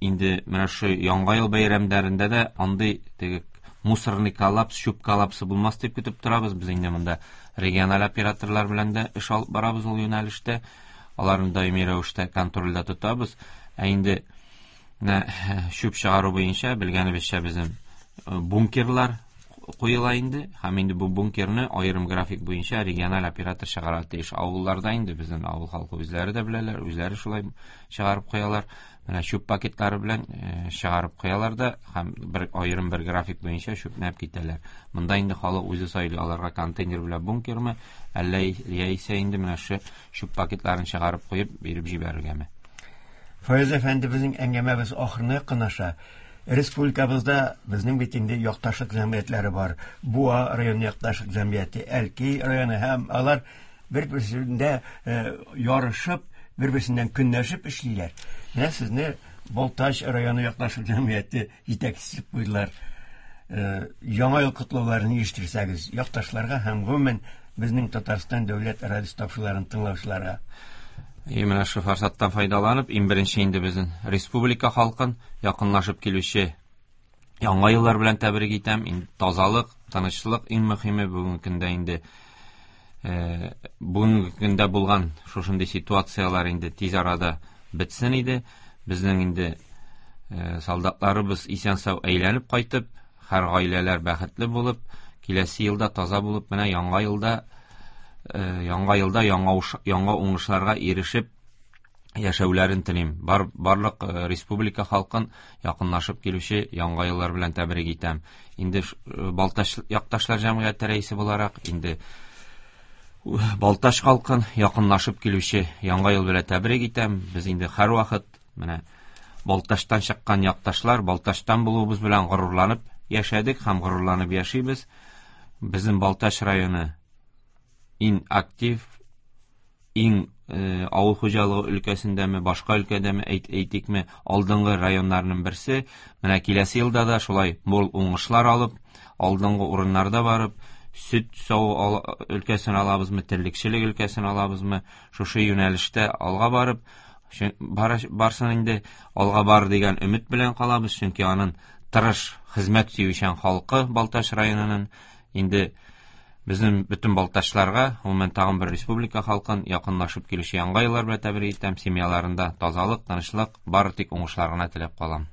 Инде менә шу Яңа ел бәйрәмнәрендә дә андый теге мусорный коллапс, чүп коллапсы булмас дип көтеп торабыз. Без инде монда региональ операторлар белән дә эш алып барабыз ул юнәлештә. Аларны даими рәвештә контрольдә тотабыз. Ә инде менә чүп чыгару буенча белгәнебезчә безнең бункерлар куела инде, һәм инде бу бункерны аерым график буенча региональ оператор чыгара тиеш. Авылларда инде безнең авыл халкы үзләре дә беләләр, үзләре шулай чыгарып куялар. Менә чүп пакетлары белән чыгарып куялар да һәм бер аерым бер график буенча чүпнәп китәләр. Монда инде халык үзе сайлый, аларга контейнер белән бункермы, әллә яисә инде менә шу чүп пакетларын чыгарып куеп биреп җибәрергәме. Фаяз әфәнде, безнең әңгәмәбез ахырына якынлаша. Республикабызда безнең бит инде якташлык җәмгыятьләре бар. Буа районы якташлык җәмгыяте, Әлки районы, һәм алар бер-берсендә ярышып, бер-берсеннән көнләшеп эшлиләр. Менә сезне Балтач районы якташлык җәмгыяте җитәкчесе куйдылар. Яңа ел котлауларын ирештерсәгез якташларга һәм гомумән безнең Татарстан дәүләт радио тапшыруларын тыңлаучыларга. И менә шу форсаттан файдаланып, иң беренче инде безнең республика халкын якынлашып килүче яңа еллар белән тәбрик итәм. Инде тазалык, тынычлык иң мөһиме бүгенге көндә инде. Э, бүгенге көндә булган шушындый ситуацияләр инде тиз арада бетсен иде. Безнең инде э, солдатларыбыз исән-сау әйләнеп кайтып, һәр гаиләләр бәхетле булып, киләсе елда таза булып, менә яңа елда яңа елда яңа яңа уңышларга ирешеп яшәүләрен телим. Бар, барлык республика халкын якынлашып килүче яңа еллар белән тәбрик итәм. Инде Балтач якташлар җәмгыяте рәисе буларак, инде Балтач халкын якынлашып килүче яңа ел белән тәбрик итәм. Без инде һәрвакыт менә Балтачтан чыккан якташлар, Балтачтан булуыбыз белән горурланып яшәдек һәм горурланып яшибез. Безнең Балтач районы иң актив, иң э, авыл хуҗалыгы өлкәсендәме, башка өлкәдәме, әйт, әйтикме, алдынгы районнарның берсе. Менә киләсе елда да шулай мул уңышлар алып, алдынгы урыннарда барып, сөт саву өлкәсен алабызмы, терлекчелек өлкәсен алабызмы, шушы юнәлештә алга барып, барсын инде алга бар дигән өмет белән калабыз, чөнки аның тырыш, хезмәт сөючән халкы Балтач районының инде безнең бөтен балтачларга, гомумән тагын бер республика халкын якынлашып килүче яңа еллар белән тәбрик итәм. Семьяларында тазалык, тынычлык, бары тик уңышлар гына теләп калам.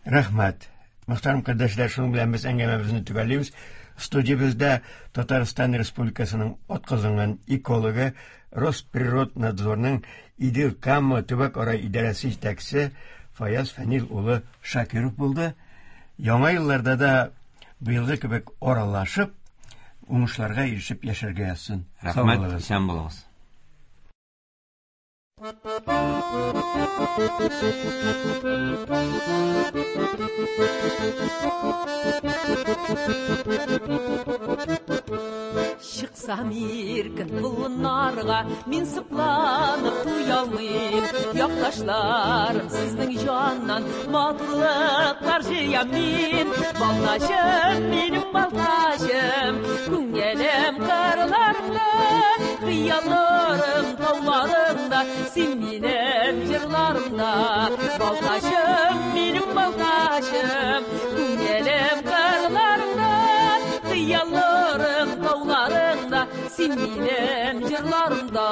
Рәхмәт. Мөхтәрәм кардәшләр, шуның белән без әңгәмәбезне төгәллибез. Студиябездә Татарстан Республикасының атказанган экологы, Росприроднадзорның Идел Кама төбәк-ара идарәсе җитәкчесе Фаяз Фәнил улы Шакиров булды. Яңа елларда да быелгы кебек аралашып, уңышларга ирешеп яшәргә язсын. Рәхмәт, исән булыгыз. Чыксам иркен болыннарга, мин сокланып туялмыйм. Якташларым, сезнең җаннан матурлыклар җыям мин. Балтачым, минем балтачым, күңелем кырларында, хыялларым тауларында, син минем җырларымда. Балтачым, минем балтачым, күңелем кырларында, хыялларым тауларында, син минем җырларымда.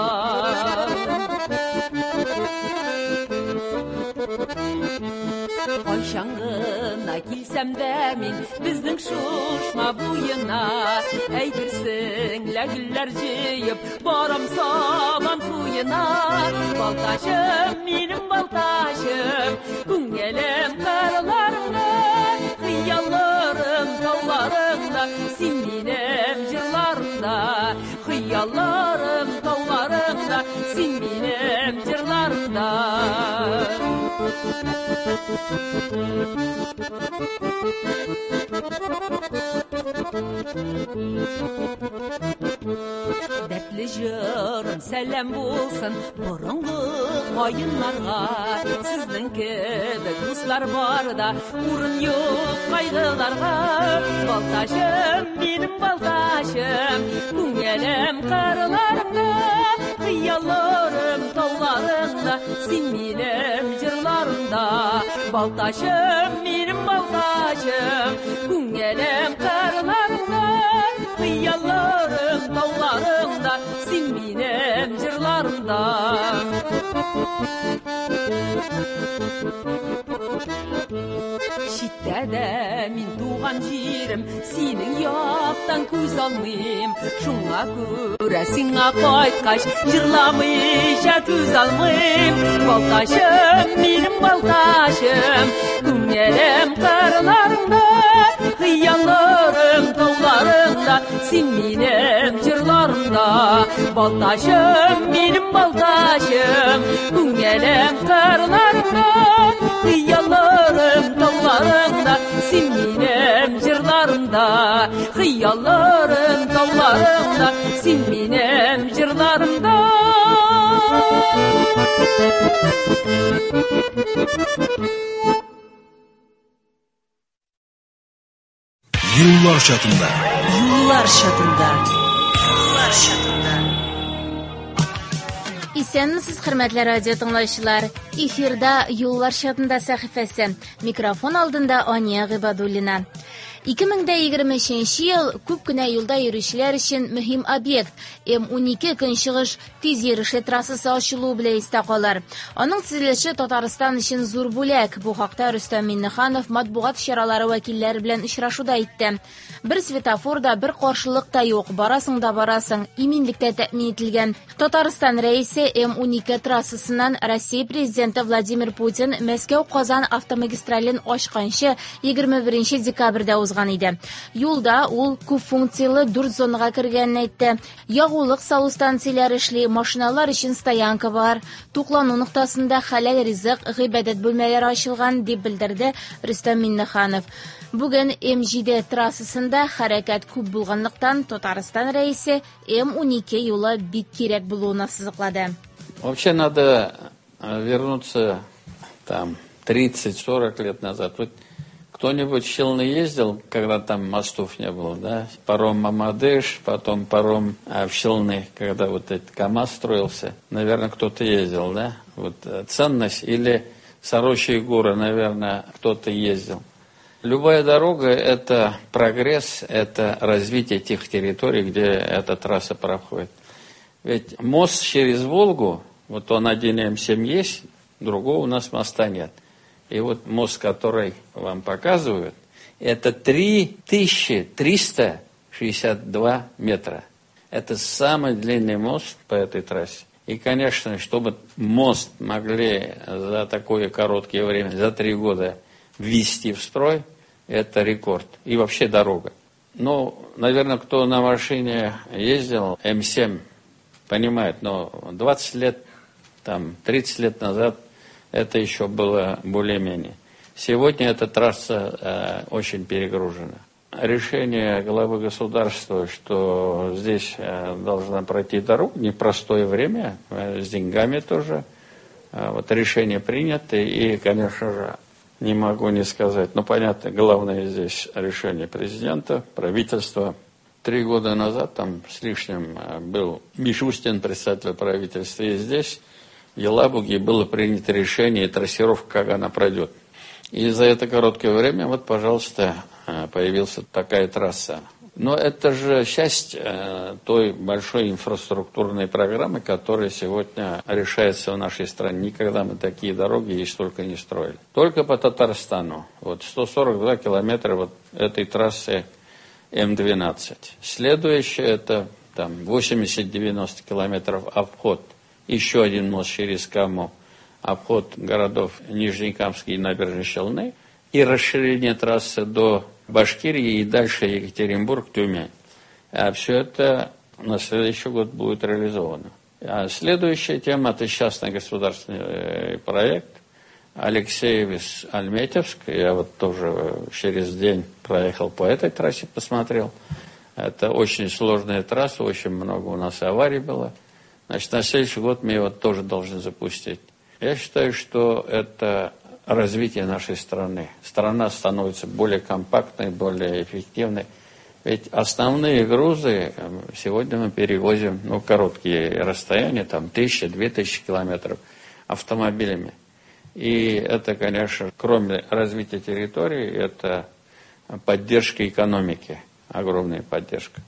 Кайчан гына килсәм дә мин безнең Шушма буена, әйтерсең лә гөлләр җыеп барам сабан туена. Балтачым, минем балтачым, күңелем кырларында, хыялларым тауларында, син минем җырларымда. Хыялларым тауларында, син минем җырларымда. Дәртле җырым сәлам булсын борынгы каеннарга, сезнең кебек дуслар бар да урын юк кайгыларга. Балтачым, минем балтачым, күңелем кырларында, хыялларым тауларында, син минем җырларымда. Балтачым, минем балтачым, күңелем кырларында, хыялларым тауларында, син минем җырларымда. Читтә дә мин туган җирем, синең яктан күз алмыйм. Шуңа күрә сиңа кайткач, җырламыйча түз алмыйм. Балтачым, минем балтачым, күңелем кырларыңда, хыялларым тауларыңда, син минем җырларымда. Балтачым, минем балтачым, күңелем кырларыңда, хыялларым тауларыңда, син минем җырларымда. Хыялларым тауларыңда, син минем җырларымда. Юллар чатында. Юллар чатында. Юллар чатында. Исәнмесез, хөрмәтле радио тыңлаучылар. Эфирда Юллар чатында сәхифәсе. Микрофон алдында Ания Гыйбадуллина. ике мең егерме өченче ел күп кенә юлда йөрүчеләр өчен мөһим объект эм унике Көнчыгыш тиз йөрешле трассасы ачылуы белән истә калыр. Аның төзелеше Татарстан өчен зур бүләк. Бу хакта Рөстәм Миңнеханов матбугат чаралары вәкилләре белән очрашуда әйтте. Бер светофор да, бер каршылык та юк. Барасың да барасың, иминлектә тәэмин ителгән. Татарстан рәисе эм унике трассасыннан Россия президенты Владимир Путин Мәскәү-Казан автомагистрален ачканчы егерме беренче декабрьдә узган иде. Юлда ул күп функцияле дүрт зонага кергәнен әйтте. Ягулык салу станцияләре эшли, машиналар өчен стоянка бар. Туклану ноктасында хәләл ризык, гыйбадәт бүлмәләре ачылган, дип белдерде Рөстәм Миңнеханов. Бүген эм җиде трассасында хәрәкәт күп булганлыктан Татарстан рәисе эм унике юлы бик кирәк булуын ассызыклады. Вообще надо вернуться там тридцать-сорок лет назад. Вот кто-нибудь в Челны ездил, когда там мостов не было, да? Паром Мамадыш, потом паром в Челны, когда вот этот КАМАЗ строился. Наверное, кто-то ездил, да? Вот ценность или Сорочьи горы, наверное, кто-то ездил. Любая дорога – это прогресс, это развитие тех территорий, где эта трасса проходит. Ведь мост через Волгу, вот он один эм семь есть, другого у нас моста нет. И вот мост, который вам показывают, это три тысячи триста шестьдесят два метра. Это самый длинный мост по этой трассе. И, конечно, чтобы мост могли за такое короткое время, за три года ввести в строй, это рекорд. И вообще дорога. Ну, наверное, кто на машине ездил, эм семь, понимает, но двадцать лет, там, тридцать лет назад это еще было более-менее. Сегодня эта трасса э, очень перегружена. Решение главы государства, что здесь э, должна пройти дорога, непростое время, э, с деньгами тоже. Э, вот решение принято, и, конечно же, не могу не сказать. Но понятно, главное здесь решение президента, правительства. Три года назад, там с лишним, был Мишустин, председатель правительства, и здесь, в Елабуге, было принято решение и трассировка, как она пройдет. И за это короткое время, вот, пожалуйста, появилась такая трасса. Но это же часть той большой инфраструктурной программы, которая сегодня решается в нашей стране. Никогда мы такие дороги и столько не строили. Только по Татарстану. Вот сто сорок два километра вот этой трассы эм двенадцать. Следующее это там восемьдесят-девяносто километров обход. Еще один мост через Каму, обход городов Нижнекамск и Набережные Челны, и расширение трассы до Башкирии и дальше Екатеринбург, Тюмень. А все это на следующий год будет реализовано. А следующая тема – это частный государственный проект Алексеевск-Альметьевск. Я вот тоже через день проехал по этой трассе, посмотрел. Это очень сложная трасса, очень много у нас аварий было. Значит, на следующий год мы его тоже должны запустить. Я считаю, что это развитие нашей страны. Страна становится более компактной, более эффективной. Ведь основные грузы сегодня мы перевозим, ну, короткие расстояния, там, тысяча, две тысячи километров автомобилями. И это, конечно, кроме развития территории, это поддержка экономики, огромная поддержка.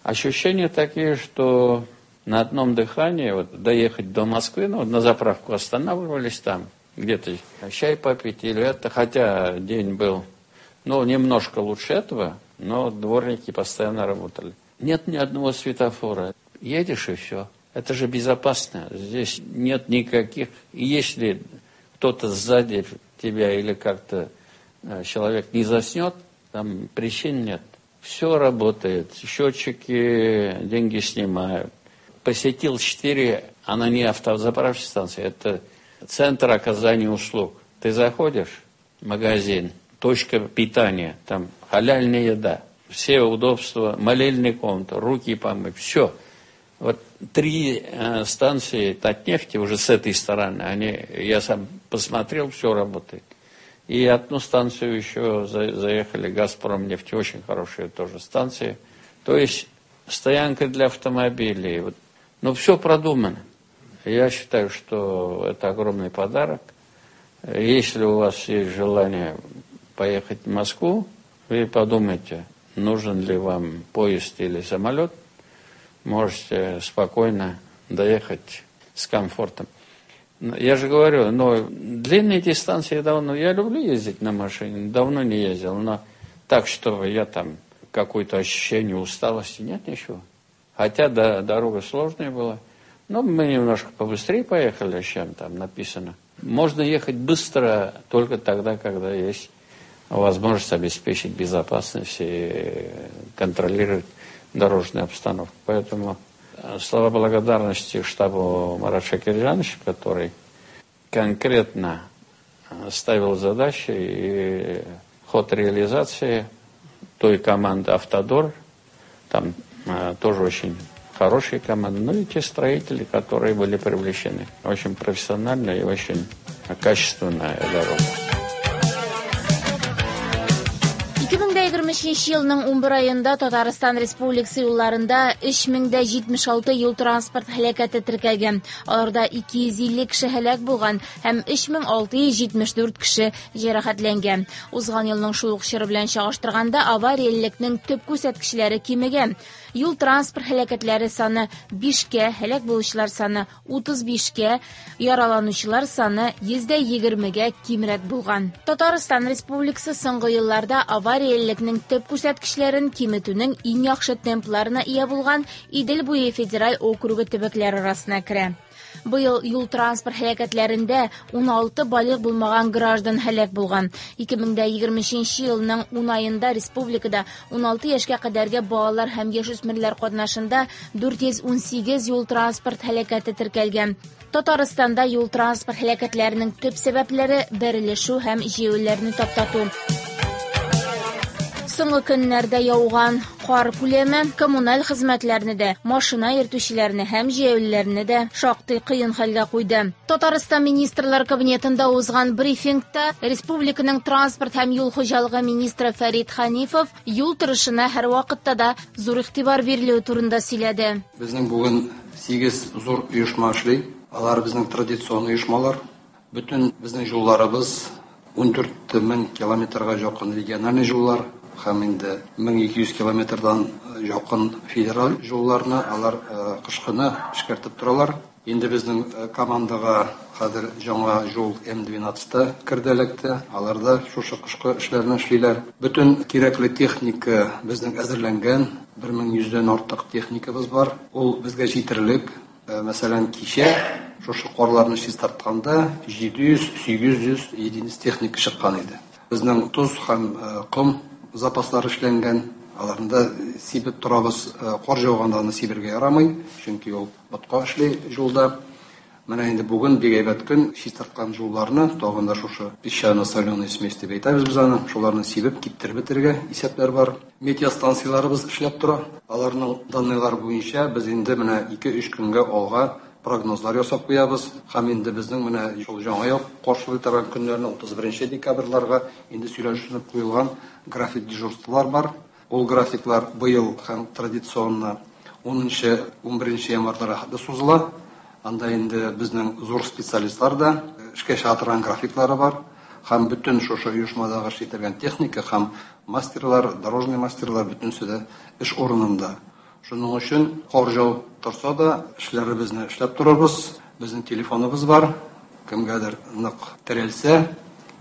Ощущения такие, что На одном дыхании вот, доехать до Москвы, ну, на заправку останавливались там, где-то чай попить или это, хотя день был, ну, немножко лучше этого, но дворники постоянно работали. Нет ни одного светофора. Едешь и все. Это же безопасно. Здесь нет никаких... Если кто-то сзади тебя или как-то человек не заснет, там причин нет. Все работает. Счетчики деньги снимают. Посетил четыре, она не автозаправочная станция, это центр оказания услуг. Ты заходишь в магазин, точка питания, там халяльная еда, все удобства, молельный комната, руки помыть, все. Вот три э, станции Татнефти уже с этой стороны, они, я сам посмотрел, все работает. И одну станцию еще за, заехали, Газпромнефть, очень хорошая тоже станция. То есть стоянка для автомобилей. Вот. Но все продумано. Я считаю, что это огромный подарок. Если у вас есть желание поехать в Москву, вы подумайте, нужен ли вам поезд или самолет. Можете спокойно доехать с комфортом. Я же говорю, но длинные дистанции давно... Я люблю ездить на машине, давно не ездил, но так, чтобы я там какое-то ощущение усталости, нет ничего. Хотя да, дорога сложная была. Но мы немножко побыстрее поехали, чем там написано. Можно ехать быстро только тогда, когда есть возможность обеспечить безопасность и контролировать дорожную обстановку. Поэтому слова благодарности штабу Марата Шакирзяновича, который конкретно ставил задачи и ход реализации той команды «Автодор», там тоже очень хорошие команды, ну и те строители, которые были привлечены. Очень профессиональная и очень качественная дорога. ике мең егерме өченче елның унбер аенда Татарстан Республикасы юлларында өч мең җитмеш алты юл транспорт һәлакәте теркәлгән. Аларда ике йөз илле кеше һәлак булган һәм өч мең алты йөз җитмеш дүрт кеше җәрәхәтләнгән. Узган елның шул ук чоры белән чагыштырганда авариялелекнең төп күрсәткечләре кимегән. Юл транспорт һәлакәтләре саны бишкә, һәлак булучылар саны утыз бишкә, яраланучылар саны йөздә егермегә кимрәк булган. Татарстан Республикасы соңгы елларда авариялелекнең төп күрсәткечләрен киметүнең иң яхшы темпларына ия булган Идел буе федераль округы төбәкләре арасына керә. Быел юл транспорт һәлакәтләрендә ун алты балигъ булмаган граждан һәлак булган. ике мең егерме өченче елның ун аенда республикада ун алты яшькә кадәрге балалар һәм яшүсмерләр катнашында дүрт йөз ун сигез юл транспорт һәлакәте теркәлгән. Татарстанда юл транспорт һәлакәтләренең төп сәбәпләре бәрелешү һәм җәяүлеләрне таптату. Соңгы көннәрдә яуган кар күләме коммуналь хезмәтләрне дә, машина йөртүчеләрне һәм җәяүлеләрне дә шактый кыен хәлгә куйды. Татарстан Министрлар Кабинетында узган брифингта республиканың транспорт һәм юл хуҗалыгы министры Фәрит Ханифов юл торышына һәрвакытта да зур игътибар бирелүе турында сөйләде. Безнең бүген сигез зур оешма эшли. Алар безнең традицион оешмалар. Бөтен безнең юлларыбыз ун дүрт мең километрга якын региональ юллар һәм инде мең ике йөз километрдан якын федераль юлларны алар кышкыны эшкәртеп торалар. Инде безнең командага хәзер яңа юл эм двенадцать керде эләкте. Алар да шушы кышкы эшләрне эшлиләр. Бөтен кирәкле техника безнең әзерләнгән. бер мең йөздән артык техникабыз бар. Ул безгә җитерлек. Мәсәлән, кичә шушы карларны чистартканда җиде йөз сигез йөз единиц техника чыккан иде. Безнең тоз һәм ком запаслары эшләнгән, аларны да сибеп торабыз. Кар яуганда аны сибергә ярамый, чөнки ул ботка эшли юлда. Менә инде бүген бик әйбәт көн, чистарткан юлларны тагын да шушы песчано-соленый смесь дип әйтәбез без аны, шуларны сибеп киптереп бетерергә исәпләр бар. Метеостанцияларыбыз эшләп тора. Аларның данныйлары буенча без инде менә ике-өч көнгә алга прогнозлар ясап куябыз. Һәм инде безнең менә шул яңа ел каршылый торган көннәрне утыз беренче декабрьләргә инде сөйләшенеп куелган график дежурстволар бар. Ул графиклар быел һәм традиционно унынчы, унберенче январьларга хәтле сузыла. Анда инде безнең зур специалистлар да эшкә чыга торган графиклары бар. Һәм бөтен шушы оешмадагы эш итергән техника һәм мастерлар, дорожный мастерлар бөтенесе дә эш урынында. Шуның өчен кар җау торса да, эшләребезне эшләп торабыз. Безнең телефоныбыз бар. Кемгәдер нык терәлсә,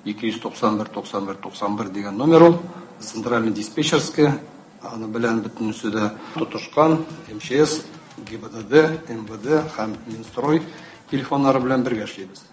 ике йөз туксан бер туксан бер туксан бер дигән номер ул. Центральный диспетчерская, аны белән бөтенесе дә тотышкан, эм че эс, гэ и бэ дэ дэ, эм вэ дэ һәм Минстрой телефоннары белән бергә эшлибез.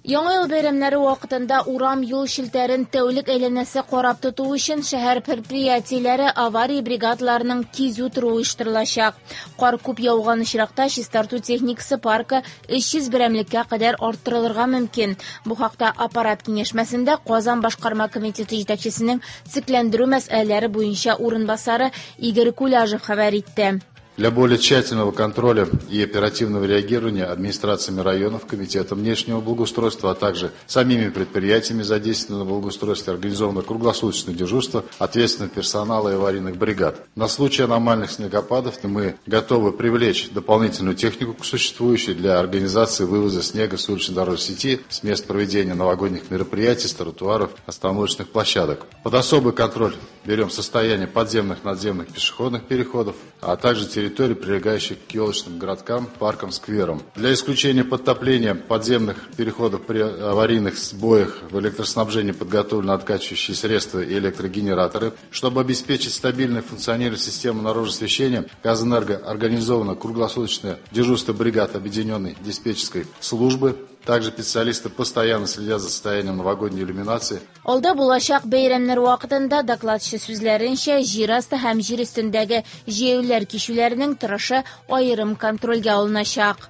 Яңа ел бәйрәмнәре вакытында урам юл челтәрен тәүлек әйләнәсе карап тоту өчен шәһәр предприятиеләре авария бригадаларының кизү торуы оештырылачак. Кар күп яуган очракта чистарту техникасы паркы өч йөз берәмлеккә кадәр арттырылырга мөмкин. Бу хакта аппарат киңәшмәсендә Казан башкарма комитеты җитәкчесенең цикләндерү мәсьәләләре буенча урынбасары Игорь Куляжев хәбәр итте. Для более тщательного контроля и оперативного реагирования администрациями районов, комитетом внешнего благоустройства, а также самими предприятиями, задействованными в благоустройстве, организовано круглосуточное дежурство ответственного персонала и аварийных бригад. На случай аномальных снегопадов мы готовы привлечь дополнительную технику к существующей для организации вывоза снега с уличной дорожной сети, с мест проведения новогодних мероприятий, с тротуаров, остановочных площадок. Под особый контроль берем состояние подземных, надземных пешеходных переходов, а также территории, прилегающих к елочным городкам, паркам, скверам. Для исключения подтопления подземных переходов при аварийных сбоях в электроснабжении подготовлены откачивающие средства и электрогенераторы. Чтобы обеспечить стабильное функционирование системы наружного освещения, Казэнерго организовано круглосуточное дежурство бригад объединенной диспетчерской службы. Также специалисты постоянно следят за состоянием новогодней иллюминации. Алда булачак бәйрәмнәр вакытында докладчы сүзләренчә, җир асты һәм җир өстендәге җәяүлеләр кичүләренең торышы аерым контрольгә алыначак.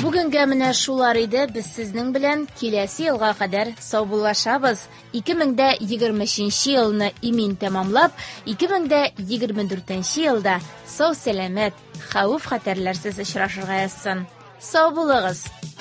Бүгенгә менә шулар иде. Без сезнең белән киләсе елга кадәр саубуллашабыз. ике мең дә егерме өченче елны имин тәмамлап, ике мең дә егерме дүртенче елда сау-сәламәт, хәвеф-хәтәрләрсез очрашырга язсын. Сау булыгыз!